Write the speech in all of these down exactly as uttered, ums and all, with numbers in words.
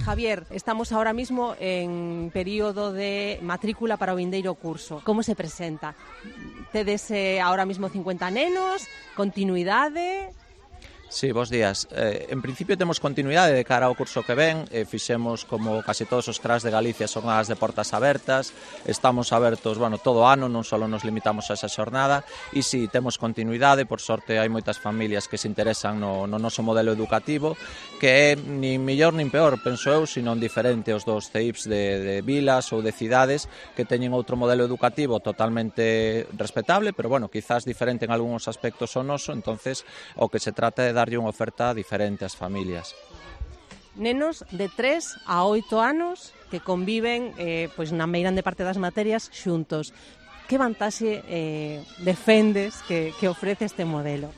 Javier, estamos ahora mismo en período de matrícula para o vindeiro curso. Como se presenta? Tedes eh, ahora mismo cincuenta nenos, continuidade... Sí, bons días. Eh, en principio temos continuidade de cara ao curso que ven. Eh, fixemos, como casi todos os cras de Galicia, xornadas de portas abertas. Estamos abertos, bueno, todo o ano, non só nos limitamos a esa xornada. E si, sí, temos continuidade. Por sorte, hai moitas familias que se interesan no, no noso modelo educativo, que é nin mellor nin peor, penso eu, sino diferente aos dos C I Ps de, de vilas ou de cidades que teñen outro modelo educativo totalmente respetable, pero, bueno, quizás diferente en algúns aspectos ao noso. Entonces, o que se trata é darlle unha oferta diferente ás familias. Nenos de tres a oito anos que conviven eh, pois na meirande parte das materias xuntos. Que vantaxe eh, defendes que, que ofrece este modelo?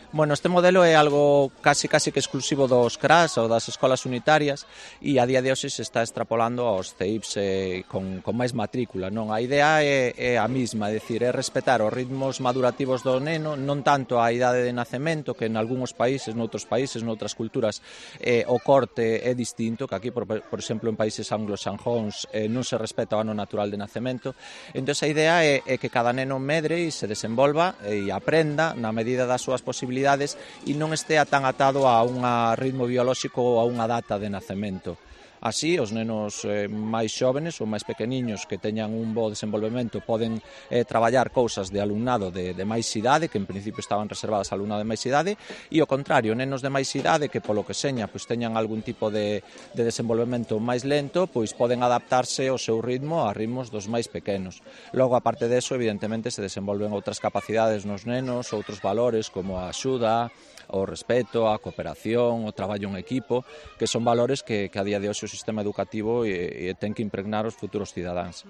Bueno, este modelo é algo casi casi que exclusivo dos cras ou das escolas unitarias e a día de hoxe se está extrapolando aos C I Ps eh, con, con máis matrícula, non? A idea é, é a mesma, é dicir, é respetar os ritmos madurativos do neno, non tanto a idade de nacemento, que en algúns países, noutros países, noutras culturas, eh, o corte é distinto, que aquí, por, por exemplo, en países anglosajóns eh, non se respeta o ano natural de nacemento. Entón, a idea é, é que cada neno medre e se desenvolva e aprenda na medida das súas posibilidades e non estea tan atado a un ritmo biolóxico ou a unha data de nacemento. Así, os nenos eh, máis xóvenes ou máis pequeniños que teñan un bo desenvolvemento poden eh, traballar cousas de alumnado de, de máis idade, que en principio estaban reservadas a alumnado de máis idade, e ao contrario, nenos de máis idade que polo que seña pois, teñan algún tipo de, de desenvolvemento máis lento, pois poden adaptarse ao seu ritmo a ritmos dos máis pequenos. Logo, aparte deso, evidentemente, se desenvolven outras capacidades nos nenos, outros valores como a axuda, o respeto, a cooperación, o traballo en equipo, que son valores que, que a día de hoxe o sistema educativo e, e ten que impregnar os futuros cidadáns.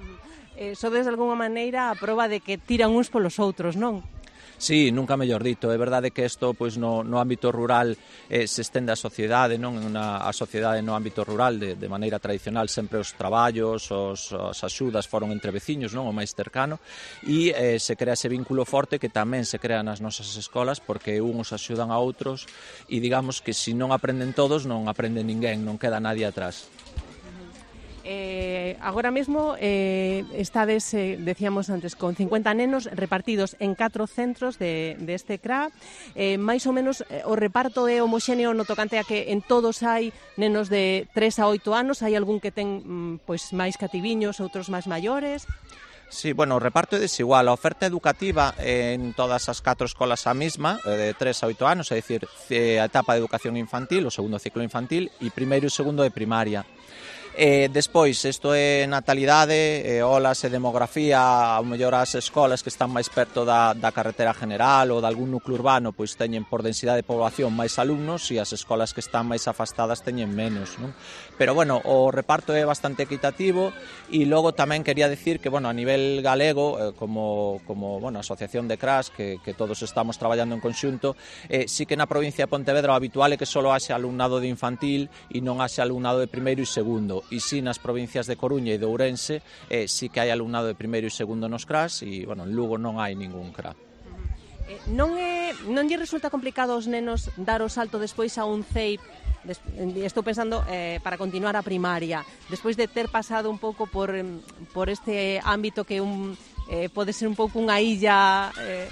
Eh, sodes de alguma maneira a proba de que tiran uns polos outros, non? Sí, nunca mellor dito. É verdade que isto pois, no, no ámbito rural eh, se estende a sociedade, non? Una, a sociedade no ámbito rural, de, de maneira tradicional, sempre os traballos, os, as axudas foron entre veciños, non? O máis cercano, e eh, se crea ese vínculo forte que tamén se crea nas nosas escolas, porque uns axudan a outros, e digamos que se non aprenden todos, non aprende ninguén, non queda nadie atrás. Eh, agora mesmo eh, estades, eh, decíamos antes, con cincuenta nenos repartidos en catro centros de, de este C R A. Eh, máis ou menos eh, o reparto é homoxéneo no tocante a que en todos hai nenos de tres a oito anos. Hai algún que ten mm, pois máis cativiños, outros máis maiores. Sí, bueno, o reparto é desigual. A oferta educativa en todas as catro escolas a mesma, de tres a oito anos, é dicir, a etapa de educación infantil, o segundo ciclo infantil, e primeiro e segundo de primaria. Eh, despois, isto é natalidade, eh, olas e demografía, ao mellor as escolas que están máis perto da, da carretera general ou de algún núcleo urbano, pois teñen por densidade de población máis alumnos e as escolas que están máis afastadas teñen menos, non? Pero, bueno, o reparto é bastante equitativo e logo tamén quería decir que, bueno, a nivel galego, eh, como, como, bueno, asociación de C R A S, que, que todos estamos traballando en conxunto, eh, sí que na provincia de Pontevedra o habitual é que só haxe alumnado de infantil e non haxe alumnado de primeiro e segundo. E si nas provincias de Coruña e de Ourense eh, si que hai alumnado de primeiro e segundo nos C R A S e, bueno, en Lugo non hai ningún C R A. Eh, non, é, non lle resulta complicado aos nenos dar o salto despois a un C I P? Des, estou pensando eh, para continuar a primaria, despois de ter pasado un pouco por, por este ámbito que un, eh, pode ser un pouco unha illa... Eh,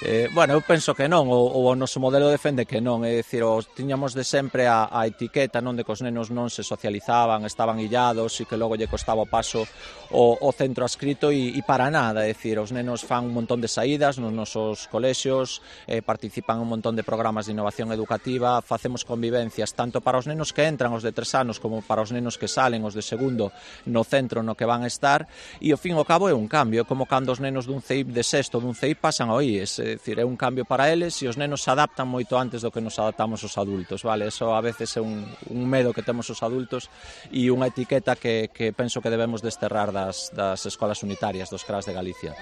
Eh, bueno, eu penso que non, o, o noso modelo defende que non, é dicir, os, tiñamos de sempre a, a etiqueta, non, de que os nenos non se socializaban, estaban illados e que logo lle costaba o paso o, o centro adscrito e, e para nada, é dicir, os nenos fan un montón de saídas nos nosos colexios, eh, participan un montón de programas de innovación educativa, facemos convivencias tanto para os nenos que entran, os de tres anos, como para os nenos que salen, os de segundo, no centro no que van a estar, e ao fin e ao cabo é un cambio, é como cando os nenos dun C I P de sexto, dun C I P pasan ao I E S, é dicir, é un cambio para eles e os nenos se adaptan moito antes do que nos adaptamos os adultos, vale? Eso a veces é un, un medo que temos os adultos e unha etiqueta que, que penso que debemos desterrar das, das escolas unitarias, dos C R A S de Galicia.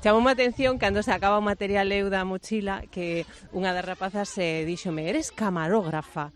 Chamou a atención cando se acaba o material eu da mochila que unha das rapazas eh, díxome, eres camarógrafa.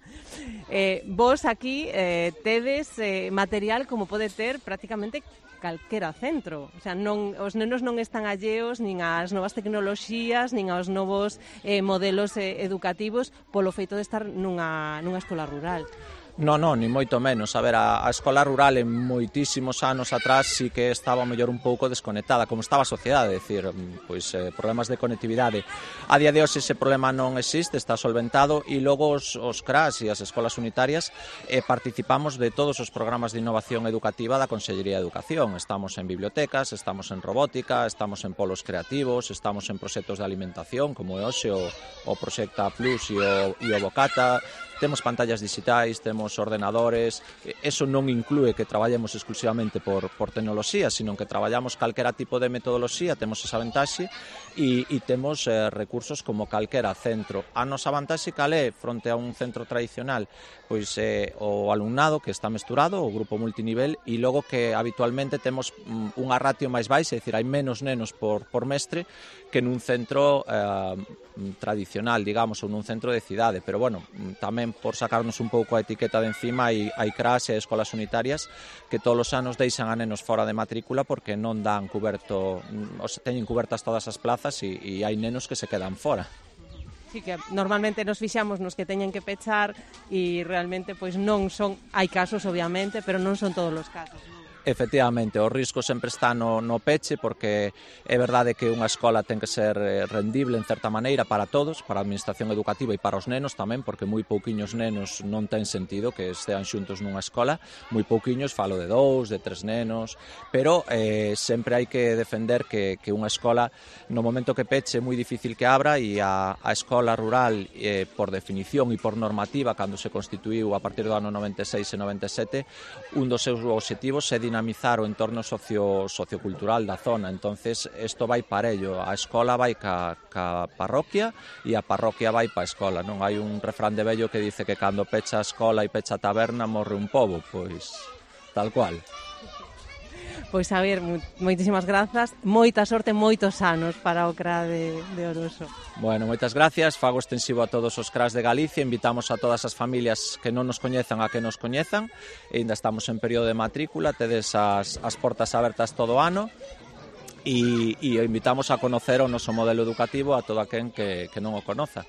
Eh, vos aquí eh, tedes eh, material como pode ter prácticamente calquera centro, o sea, non, os nenos non están alleos nin ás novas tecnoloxías, nin aos novos eh, modelos eh, educativos polo feito de estar nunha, nunha escola rural. Non, non, ni moito menos. A ver, a, a escola rural en moitísimos anos atrás sí que estaba mellor un pouco desconectada, como estaba a sociedade, decir, pois eh, problemas de conectividade. A día de hoxe ese problema non existe, está solventado, e logo os, os C R A S e as escolas unitarias eh, participamos de todos os programas de innovación educativa da Consellería de Educación. Estamos en bibliotecas, estamos en robótica, estamos en polos creativos, estamos en proxectos de alimentación, como é hoxe o, o Proxecta Plus e o, e o Bocata. Temos pantallas digitais, temos ordenadores, eso non inclúe que traballemos exclusivamente por, por tecnoloxía, sino que traballamos calquera tipo de metodoloxía, temos esa vantaxe, e, e temos eh, recursos como calquera centro. A nosa vantaxe cal é fronte a un centro tradicional? Pois eh, o alumnado que está mesturado, o grupo multinivel, e logo que habitualmente temos mm, unha ratio máis baixa, é dicir, hai menos nenos por, por mestre que nun centro eh, tradicional, digamos, ou nun centro de cidade, pero bueno, tamén por sacarnos un pouco a etiqueta de encima, hai, hai C R A S e escolas unitarias que todos os anos deixan a nenos fora de matrícula porque non dan cuberto, o sea, teñen cubertas todas as plazas e, e hai nenos que se quedan fora. Sí, que normalmente nos fixamos nos que teñen que pechar e realmente pois non son, hai casos obviamente, pero non son todos os casos, non? Efectivamente, o risco sempre está no, no peche, porque é verdade que unha escola ten que ser rendible en certa maneira para todos, para a administración educativa e para os nenos tamén, porque moi pouquiños nenos non ten sentido que estean xuntos nunha escola, moi pouquiños, falo de dous, de tres nenos, pero eh, sempre hai que defender que, que unha escola, no momento que peche, é moi difícil que abra, e a, a escola rural, eh, por definición e por normativa, cando se constituíu a partir do ano noventa e seis e noventa e sete, un dos seus obxectivos é dinamizar o entorno socio, sociocultural da zona. Entonces, isto vai parello, a escola vai ca, ca parroquia e a parroquia vai pa escola, non? Hai un refrán de vello que dice que cando pecha a escola e pecha a taberna morre un pobo, pois tal cual. Pois a ver, moitísimas grazas, moita sorte, moitos anos para o C R A de, de Oroso. Bueno, moitas gracias, fago extensivo a todos os C R As de Galicia, invitamos a todas as familias que non nos coñezan a que nos coñezan, e ainda estamos en período de matrícula, tedes as, as portas abertas todo o ano, e, e invitamos a conocer o noso modelo educativo a todo aquén que, que non o conoza.